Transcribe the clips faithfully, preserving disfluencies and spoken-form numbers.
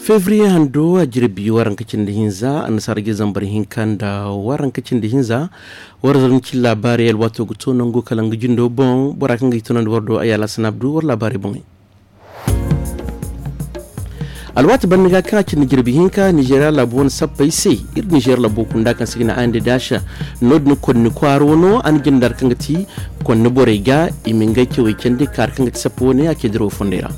Febriye hando a jirbi waranka cindi hinza annasaara jire zambar hinka nda waranka cindi hinza. War zarma cin laabaarey alwaato ga to nango kala nga jindo boŋ bora kaŋ ga i tunandi war do a yaala sanaabdu war laabaarey boŋey. Alwaati banda ga kaŋ a cindi jirbi hinka nizeeriya laabo wane sappey se. Iri nizeeriya laabo kunda kaŋ se ga ne a nda daasa no- din konni kwaaro no a na jinde hari kaŋ ga ti konni borey ga i ma ngey cawey candi ka hari kaŋ ga ti sappa wane a ce dirawo fondey ra.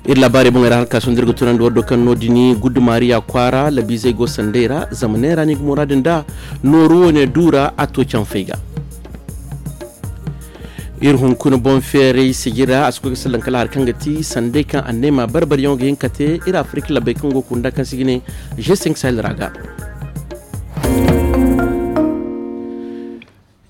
Iri laabaarey boŋey ra hala ka sohõ da iri ga tunandi war do kaŋ no- din gudumaariya kwaara labiizey go sandey ra zama neera no i ga muraadu nda nooru wane du ra a to canfey ga. Iri hunkuna boŋ feeray sijira a si koy ga sallan kala hari kaŋ ga ti sanday kaŋ anneema barbaryaŋo ga hin ka te iri afirika labbey kaŋ go kunda kaŋ se i ga ne g cinq sahel ra ga.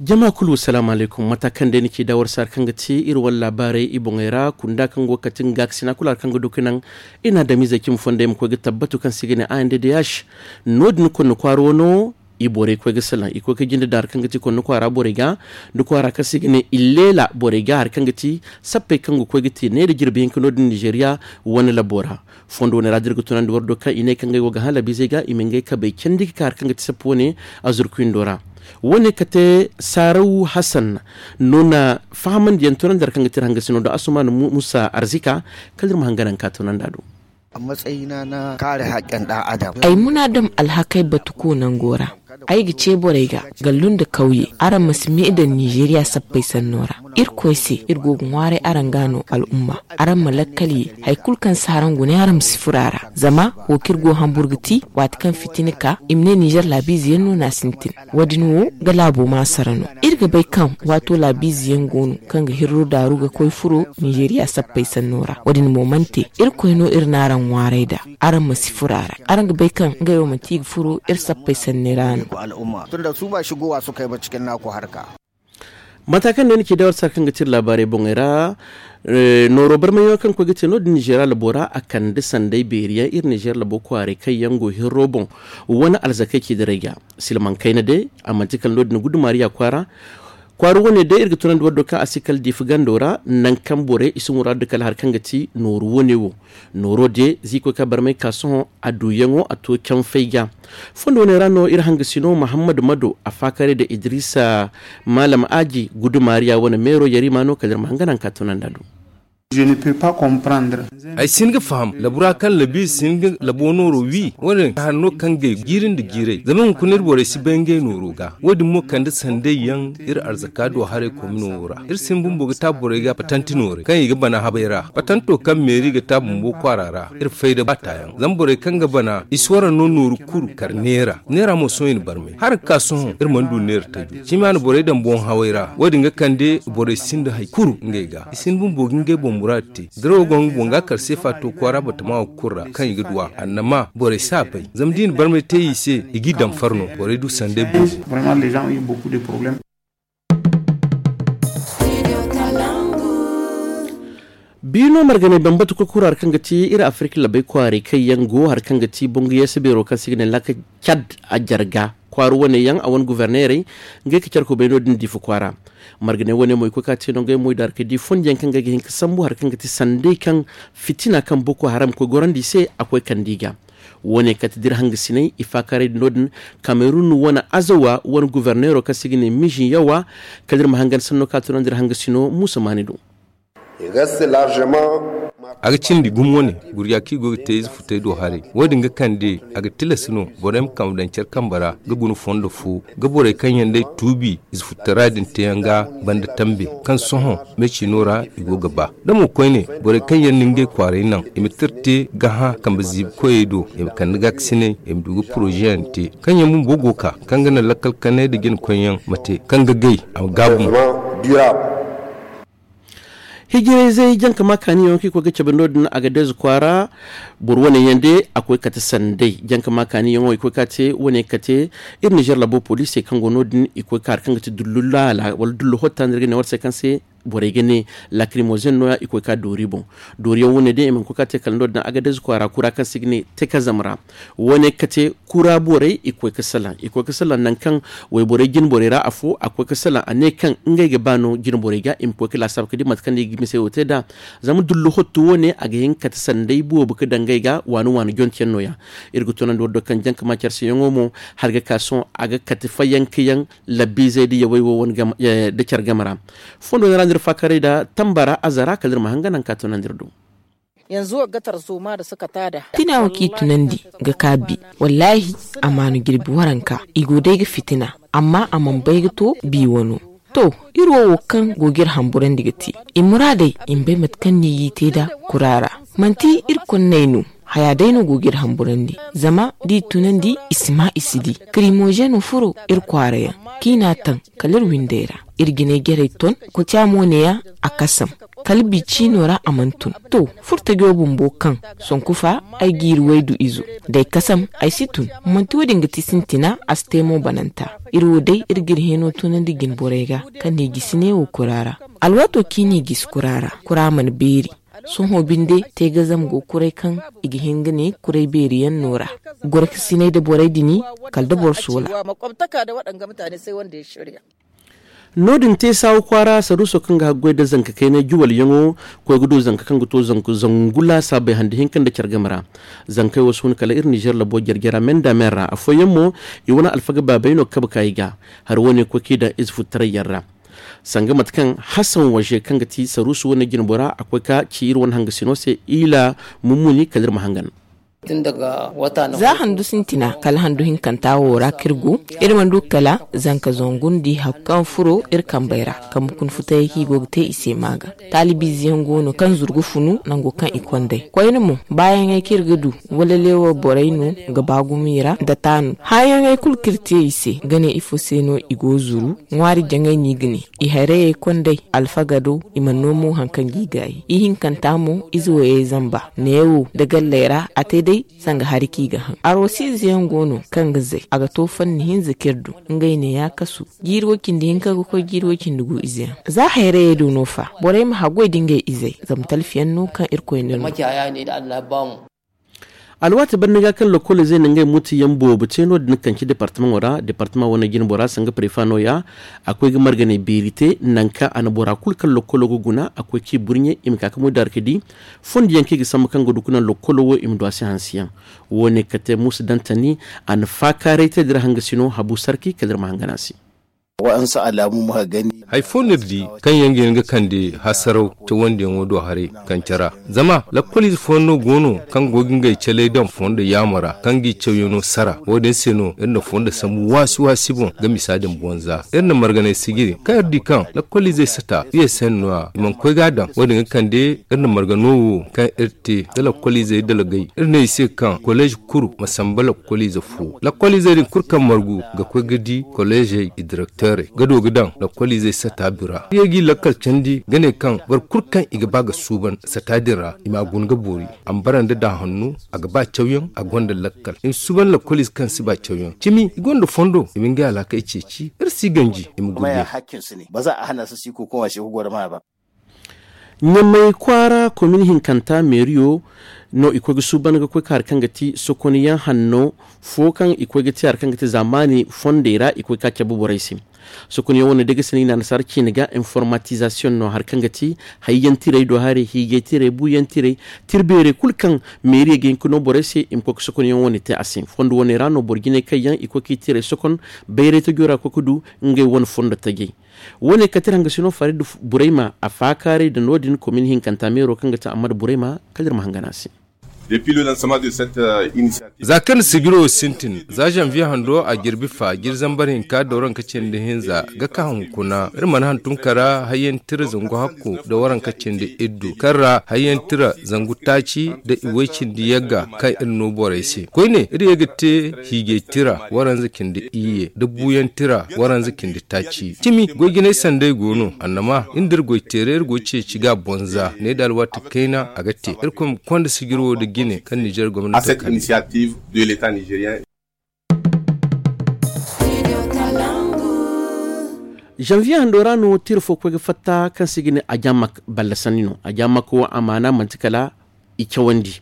Jama kulu salaamu alaykum mata kaŋ day ni ci da war se hari kaŋ ga ti iri wane laabaarey i boŋey ra kunda kaŋ go ga kate nga gaakasina kulu hari kaŋ ga du ga naŋ i na adamizey cimi fondey ma koy ga tabbatu kaŋ se i ga ne a n d d h. No- din konna kwaara wano i borey koy ga salaŋ i koy ga jinde daŋ hari kaŋ ga ti konna kwaara borey ga nda kwaara kaŋ se i ga ne illeela borey ga hari kaŋ ga ti sappey kaŋ ga koy ga te ne nda jirbi hinka no- din nizeeriya wane labbo ra. Fondo wane ra da iri ga tunandi war do kaŋ i ne kaŋ ngey wo ga hã labiizey ga i ma ngey kabey candi ga ka hari kaŋ ga ti sappa wane azurkuyindo ra. Wane kate saaraw hasan no na fahamandiyaŋ tunandi hari kaŋ ga ti iri hangasino do asuman musa arzika. Kala iri ma hanganaŋ ka tunandi a do. A matsayina na kare hakken dan adam. Ay muna dam alhakay batu ko nango ra. Ay ga ce borey ga gallu nda kawye araŋ ma si me daŋ nizeeriya sappey sanno ra. Irkoy se iri go ga ŋwaaray araŋ ga no al'umma. Araŋ ma lakkal ye hari kulu kaŋ si haraŋ gune araŋ ma si furo a ra zama wo kaŋ iri go ga hambur ga ti waati kaŋ fitina ka i ma ne nizer laabiize yaŋ no no a sintin. Wo- din wo ga laabo maasara no. Iri ga bay kaŋ waato laabiize yaŋ go no kaŋ ga hirro daaru ga koy furo nizeeriya sappey sanno ra wo- din mo mana te. Irkoy no iri n'araŋ ŋwaaray nd'a. Araŋ ma si furo a ra. Araŋ ga bay kaŋ ngey wo manti i ga furo iri sappey sanney ra no. Mata kaŋ day ni ci day war sara kaŋ ga ti iri laabaarey boŋey ra. Nooro barmayaŋo kaŋ koy ga te no- din nizeeriya labo ra a kande sanday beeri yaŋ iri nizeeriya labo kwaaray kaŋ yaŋ go hirro boŋ wane alzakey ci daray ga. Silmaŋ kayna day a manti kala no- din gudumaariya kwaara. Kwaara wane day iri ga tunandi war do kaŋ a si kala diifa gando ra nangu kaŋ borey i si muraadu kala hari kaŋ ga ti nooru wane wo. Nooro de zikoy ka barmay ka sohõ a duuyaŋo a to canfay ga. Fondo wane ra no iri hangasino muhammad mado a faakaray da idrisa maalam aaji gudumaariya wane meero yarima no kala iri ma hanganaŋ ka tunandi a do. Ay si hin ga faham labura kaŋ labiize si hin ga labo nooro wi wane hari no kaŋ gay jiiri nda jiiray zama hunkuna iri borey si bay ngey nooro ga. Wo- din mo kande sanday yaŋ iri arzaka do haray komino wo ra iri si hin bumbo ga taabu borey ga patanti nooray kaŋ i ga bana habay ra patanto kaŋ meeri ga taabu bumbo kwaara ra. Iri fay da baataayaŋ zama borey kaŋ ga bana i si wara no nooru kuru kar neera neera mo sohõ i na barmay hala ga ka sohõ iri mana du neera tajo. Cimi a na borey daŋ boŋ haway ra wo- din ga kande borey sinda hari kuru ngey ga i si hin bumbo ga ngey boŋ muraadu te. Dirawo go nga boŋ ga kar seefa to kwaara batama wo kulu ra kaŋ i ga du a annama borey si a bay zama da i na barmay te i se i g'i daŋ farno borey du sanday boobo. Biino marganay bambata koy kura hari kaŋ ga ti iri afirka labay kwaaray kaŋ yaŋ go hari kaŋ ga ti bangu yeese beero kaŋ se i ga ne laaka cad a jarga kwaara wane yaŋ a wane guverneerey ngey ka care kubay no- din diifa kwaara. Marganay wane mo i koy ka te no ngey mo i daara ka di fondiyaŋ kaŋ ga hin ka sambu hari kaŋ ga ti sanday kaŋ fitina kaŋ boko haram koy gorandi i se a koy kande i ga. Wo- ne kate da iri hangasinay i faakaaray din no- din kamerun wane azawa wane guverneero kaŋ se i ga ne miziyawa. Kala iri ma hangan sanno ka tunandi iri hangasino muusa maani do. A ga cindi gumo wane gurja kaŋ i go ga te ize futay do haray. Wo- din ga kande a ga tilas no borey ma kambe daŋ care kambe ra ga guna fondo fo ga borey kaŋ yaŋ day tuubi ize futtara din teeyaŋ ga banda tambe kaŋ sohõ meecino ra i go ga ba. Da mo koyne borey kaŋ yaŋ na ngey kwaaray naŋ i ma tira te ga hã kambe ziibi koyey do i ma kande gaakasinay i ma du ga porozeyaŋ te kaŋ yaŋ bumbo go ka kaŋ ga naŋ lakkal kanay nda jina koyyaŋ ma te kaŋ ga gay a ma gaabu mo. Hijirayzey jankama kaaniyaŋo kaŋ i koy ga cabe no- din a ga deeze kwaara. Boro wane yaŋ day a koy kate sanday jankama kaaniyaŋo i koy ka te wane kate iri nizer labo poliisey kaŋ go no- din i koy ka hari kaŋ ga ti dullu laala wala dullu hotta no iri ga ne war se kaŋ se. Borey ga ne lakrimozen no- ya i koy ka doori boŋ. Dooriyaŋ wane day i mana koy ka te kala no- din agadez kwaara kura kaŋ se i ga ne tekazam ra. Wane kate kura borey i koy ga salaŋ i koy ga salaŋ nangu kaŋ wayborey jine borey ra afo a koy ga salaŋ a ne kaŋ ngey ga ba no jine borey ga i ma koy ga laasaabu ga di mate kaŋ no i ga mise wo te nd'a. Zama dullu hottu wane a ga hin ga kate sanday boobo ga daŋ ngey ga waani waani jonte yaŋ no- ya. Iri ga tunandi wo do kaŋ jaŋ ga ma care se yaŋo mo, hari ga ka sohõ a ga kate fayanka yaŋ labbiizey nda yawey wo wane game nda care game ra. Fondo din ra no iri faakaray nda tamba ra aza ra kala iri ma hanga nangu kaŋ a tunandi iri do. Tina wo kaŋ i tunandi ga ka bi, wallaahi, a maanu jirbi waranka i go day ga fitina, amma a mana bay ga to bi wano. To, iri wo wo kaŋ go ga iri hamburandi ga te i muraadey, i ma bay mate kaŋ no i g'i te nd'a kura ra. Manti iri konney no, haya day no go ga iri hamburandi. Zama da i tunandi i si maa i si di. Kirimozeno furo iri kwaara yaŋ, kaŋ i n'a taŋ kala iri windey ra. Iri jinay jarey ton, koca mo ne- ya a kasam. Kala bi ciino ra a mana tun. To, furtajo bumbo kaŋ, sonku fa, ay ga iri waydu izo. D'ay kasam, ay si tun. Manti wo- din ga ti sintina a si te mo bananta. Iri wo day iri ga iri hẽeno tunandi jine borey ga, kaŋ no i gisi neewo kura ra. Alwaato kaŋ i n'i gisi kura ra, kura mana beeri. Sohõ binde, teegazam go kuray kaŋ i ga hin ga ne kuray beeri yaŋ no ra. Gorkasinay nda borey din, kala da boro soola. No- din te saawa kwaara saruuso kaŋ ga haggoy nda zanka kaynay juwalyaŋo, koy ga du zanka kaŋ ga to zangu laasaabey hande hinka nda care game ra. Zankey wo si hun kala iri nizeer labo jarjara men da men ra afooyaŋ mo, i wane alfaga baabey no ga kabe ka i ga. Hari wo- ne koy kaŋ i daŋ ize futtaray yaŋ ra. Sanga mate kaŋ hasan waze kaŋ ga ti saruusu wane jinbora a koy ka ci iri wane hangasino se, ila mummuni kala iri ma hangan. Za handu sintina kala handu hinkanta wo ra kaŋ iri go, iri mana du kala zanka zangu nda i hakku kaŋ furo iri kambey ra. Kambe kuna futayey kaŋ i go ga te i se maaga. Taalibiize yaŋ go no kaŋ zuru ga funu nango kaŋ i kond'ey koyne mo, baayaŋey kaŋ iri ga du, wala leewo borey no ga ba gumo i ra nda taanu. Hããyaŋey kulu kaŋ iri te i se ga ne ifo se no i go ga zuru. Ŋwaari jaŋay no i ga ne, i hayrayey kond'ey, alfagado, i mana no mo hari kaŋ ga i gaayi. Ihinkanta mo, ize wayey zamba neewo nda galley ra a te day. Sanga hari kaŋ i ga haŋ arwasi ize yaŋ go no kaŋ ga zay a ga to fanni hinza kaŋ iri du. Ngey ne ya kasu, jiiri wo- cindi hinka ga koy jiiri wo- cindi gu ize yaŋ. Za hayrayey do no fa, borey ma haggoy nda ngey izey, zama talfiyaŋ no kaŋ irkoy no no. Alwaati banda ga kaŋ lokoliizey na ngey muti yaŋ boobo te no- din ga kanci departamaŋo ra departamaŋ wane jinbora sanga prefa no- ya. A koy ga marganay beeri te nangu kaŋ a na bora kulu kaŋ lokolo ga guna a koy k'i burɲe i ma ka ga moy daara ga di. Fondo yaŋ kaŋ i ga sambu kaŋ ga du ga naŋ lokolo wo i ma du a se hanse yaŋ. Wo- ne kate muusa dantani, a na faakaaray te dira hangasino habu sarki kala iri ma hangan a se. Waɗansu alamu muka gani. Hari fo no iri di kaŋ yaŋ ga hin ga kande hasaraw cawandiyaŋo do haray kaŋ care ra. Zama lakkoliize fooyaŋ no go no kaŋ go ga ngey caley daŋ fondo yaamo ra kaŋ g'i cawyaŋo sara. Wo- din se no iri na fondo sambu waasi waasi boŋ ga misa din bonza iri na marganay sijiri kaŋ iri di kaŋ lakkoliizey sata iyey se no- ya i mana koy ga a daŋ. Wo- din ga kande iri na margano wo kaŋ iri te da lakkoliizey dalgay iri ne i se kaŋ koleez kulu ma samba lakkoliize fo. Lakkoliizey din kulu kaŋ margu ga koy ga di koleezey i direkteerey ga du ga daŋ lakkoliizey sata bira. Iri ye g'i lakkal candi ga ne kaŋ boro kulu kaŋ i ga ba ga suuban sata din ra i m'a guna ga boori. A ma bara nda da hanno a ga ba cawyaŋ a gonda lakkal i ma suuban lakkoliize kaŋ si ba cawyaŋ cimi i gonda fondo i ma ngey alaakey ceeci iri si ganji i ma gurbe. Ɲamay kwaara komin hinkanta meeriyo no i koy ga suuban ga koy ka hari kaŋ ga ti sokoniyaŋ hanno fo kaŋ i koy ga te hari kaŋ ga te zaamaani fondey ra i koy ka cabe borey se. Sokoniyaŋ wane day ga sina i na annasaara ciine ga informatizaasiyoŋ no hari kaŋ ga ti hayyantirey do hari hiijaytirey buuyantirey tirbeerey kulu kaŋ meeriyo ga hin ga no borey se i ma koy ga sokoniyaŋ wane te a se fondo wane ra no boro jinay kaŋ yaŋ i koy ga i tirey sokon bayray tajo ra ga koy ga du ngey wane fondo tajey. Wo- ne kate iri hangasino farid burayma a faakaaray nda no- din komin hinkanta meero kaŋ ga ti ammad burayma kala iri ma hangan a se. Za kaŋ sijiro wo sintin za zanviye hando a jirbi fa jiri zambar hinka da waranka cindi hinza ga ka hunkuna iri mana hantum kara hayyan tira zangu hakko da waranka cindi iddu kaŋ ra hayyan tira zangu taaci da iway cindi yagga kaŋ iri no borey se koyne iri ye ga te hiijay tira waranza cindi iyye da buuyaŋ tira waranza cindi taaci cimi goy jinay sanday go no annama iri nda iri goy teeray iri go ceeci ga a bonza ne da alwaati kayna a ga te irkoy ma konda sijir wo nda jine kaŋ nizer gomnati ga kande. Janvier hando ra no tira fo koy ga fatta kaŋ se i ga ne ajamak. Balla sanni no ajamak wo a maana manti kala i cawandi.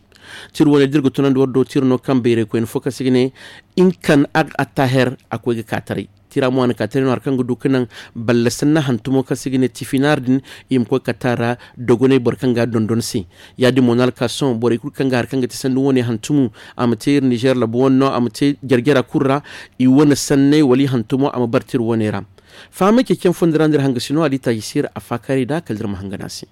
Tira wane da iri ga tunandi war do tira no kaŋ bayray koyne fo kaŋ se i ga ne inkan ag attaher a koy ga ka taray. Tira mo a na ka taray no hari kaŋ ga du ga naŋ balla sanni hantumo kaŋ se i ga ne tifinar din i ma koy kata ra dogonay boro kaŋ ga a dondon se. Ya- din mo no a ga ka sohõ borey kulu kaŋ ga hari kaŋ ga ti sanni wane hantumu a ma te iri nizer labu wane no a ma te jare jara kulu ra. I wane sanney wala i hantumo a ma bar tira wane ra. Fahamay ceeciyaŋ fondo ra no iri hanga si no a di taaji siira a faakaaray nd'a kala da iri ma hanga no a se.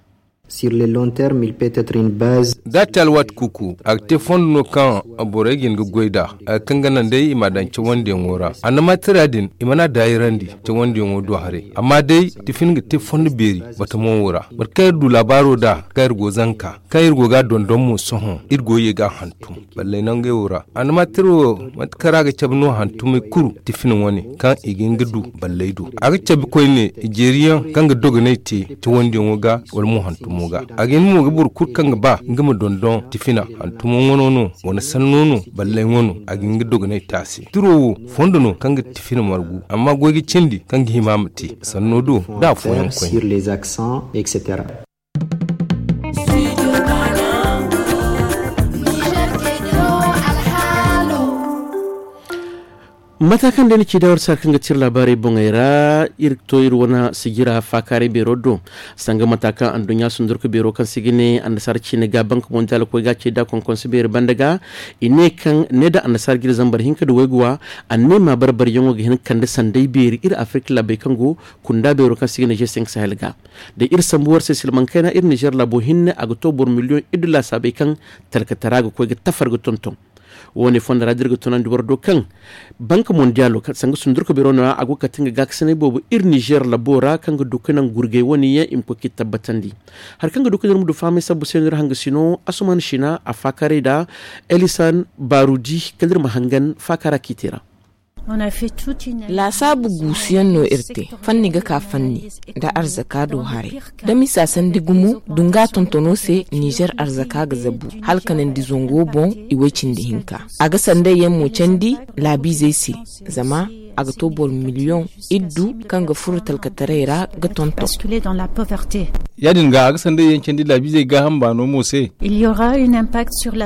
Sur le long terme il peut être une base. Da a te alwaati kuuku a ga te fondo no kaŋ borey ga hin ga goy nd'a. Kaŋ ga naŋ day i m'a daŋ cawandiyaŋo ra annamatira din i mana daayirandi cawandiyaŋo do haray amma day tifin ga te fondo beeri batamo wo ra. Mate kaŋ iri du laabaaro nd'a kaŋ iri go zanka kaŋ iri go ga a dondon mo sohõ iri go ye ga a hantum balley nangey wo ra. Annamatira wo mate kaŋ ra a ga cabe no hantumey kulu tifin wane kaŋ i ga hin ga du balley do. A ga cabe koyne i jeeriyaŋ kaŋ ga dogonay te cawandiyaŋo ga wala mo hantumo ga. A ga hin mo ga boro kulu kaŋ ga ba nga ma dondon tifina hantumo ŋwano no wane sanno no balley ŋwano a ga hin ga dogonay te a se tiro wo fondo no kaŋ ga tifina margu amma goy ga cindi kaŋ ga hima ma te sanno do da afooyaŋ koyne. Mata kaŋ day ni ci da war saar kaŋ ga tira laabaarey boŋey ra iri to iri wane sijira faakaaray beero do. Sanga mata kaŋ anduɲɲa sundurka beero kaŋ se ga ne annasaara ciine ga bank mondial koy ga a ce da konkonse beeri banda ga i ne kaŋ ne da annasaara jire zambar hinka da wayguwa anneema barbaryaŋo ga hin ga kande sanday beeri iri afirka laabey kaŋ go kunda beero kaŋ se ga ne g cinq sahel ga. Da iri sambu war se silmaŋ kayna iri nizer laabo hinne a ga to boro miliyoŋ iddu laasaabey kaŋ talkatara ga koy ga tafar ga tonton. Wo- ne fondo ra da iri ga tunandi war do kaŋ banka mondiyaalo sanga sundurka beero no- ya a go ga kate nga gaakasinay boobo iri nizer labo ra kaŋ ga du ga naŋ gurgay wo- ne yaŋ i ma koy ga i tabbatandi. Hari kaŋ ga du ga naŋ iri ma du fahamay sabbu se no iri hanga sino asuman sina a faakaaray nd'a elisan baarudi kala iri ma hangan faakaara kaŋ i te ra. Laasaabu guusuyaŋ no iri te fanni ga ka fanni nda arzaka do haray da misa sandi gumo dunga tontono se nizer arzaka ga zabu hala kanandi zango boŋ i way cindi hinka. A ga sanday yaŋ mo candi laabiizey se zama a ga to boro miliyoŋ iddu kaŋ ga furo talkataray ra ga tonton. Ya- din ga a ga sanday yaŋ candi laabiizey gaaham baano mo se.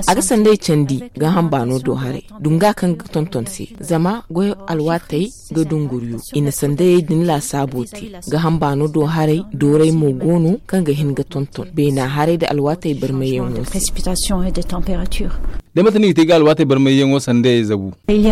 A ga sanday candi gaaham baano do haray dunga kaŋ ga tonton se zama goy alwaatey ga dunguriyo i na sandayey din laasaabo te. Gaaham baano do haray dooray mo go no kaŋ ga hin ga tonton beena haray nda alwaatey barmayyaŋo se. Day mate no i ga te ga alwaatey barmayyaŋo sandayey zabu? Iri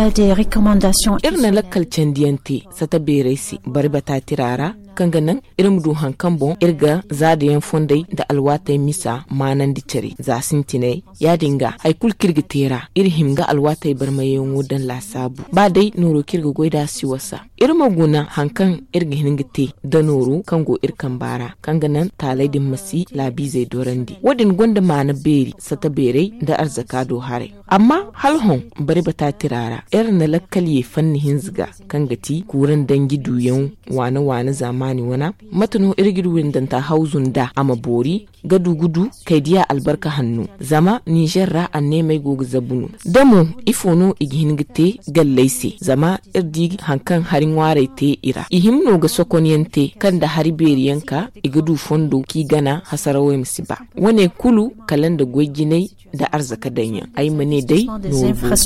na lakkal candiyaŋ te sata beerey se bari bata tira ra kaŋ ga naŋ iri ma du hari kaŋ boŋ iri ga zaadayaŋ fondey nda alwaatey misa maanandi care za sintinay. Ya- din ga hari kulu kaŋ iri ga te ra iri hima ga alwaatey barmayyaŋo daŋ laasaabu ba day nooro kaŋ iri ga goy nd'a si wasa. Iri ma guna hari kaŋ iri ga hin ga te da nooro kaŋ go iri kamba ra kaŋ ga naŋ taaley din ma si laabiizey dorandi wo- din gonda maana beeri sata beerey nda arzaka do haray. Amma hala hõ bari bata tira ra iri na lakkal ye fanni hinza ga kaŋ ga ti kuuraŋ danji duuyaŋ waana waana zaamaani wana. Mate no iri ga iri windanta hawzu nd'a a ma boori ga du ga du kay diya albarka hanno zama nizer ra anneemey go ga zabu no. Da mo ifo no i ga hin ga te galley se zama iri di hari kaŋ hari ŋwaarey te i ra i hima no ga sokonyaŋ te kaŋ nda hari beeriyaŋ ka i ga du fondo kaŋ i gana hasarawey ma si ba. Wane kulu kala nda goy jinay nda arzaka daŋyaŋ ay ma ne day. Nooro boobo.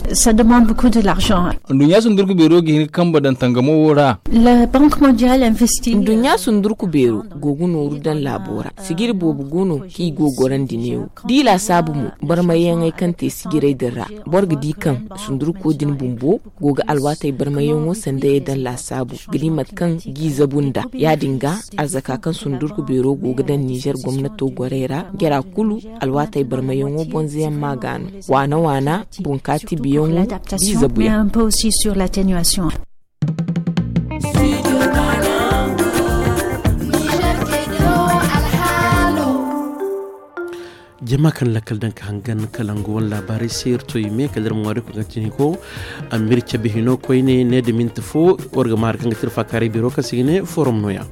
Anduɲɲa sundurku beero ga hin ga kambe daŋ tangamo wo ra. Anduɲɲa sundurku beero go ga nooru daŋ laabo ra sijiri boobo go no kaŋ i go ga gorandi neewo da i laasaabu mo barmayyaŋey kaŋ te sijirey din ra. Boro ga di kaŋ sundurko din bumbo go ga alwaatey barmayyaŋo sandayey daŋ laasaabu ga di mate kaŋ g'i zabu nd'a. Ya- din ga arzaka kaŋ sundurku beero go ga daŋ nizer gomnato gorey ra jara kulu alwaatey barmayyaŋo bonzayaŋ ma ga no waana waana bunkaati biyaŋo. G'i zabuyaŋ. Jama kaŋ lakkal daŋ ka hangan kalangu wane laabaarey se iri to i me kala iri ma ŋwaari koy ga tini ko. Amir cabe hino koyne ne da minti fo war ga maari kaŋ ga tira faakaaray biro kaŋ se ga ne forum nooya.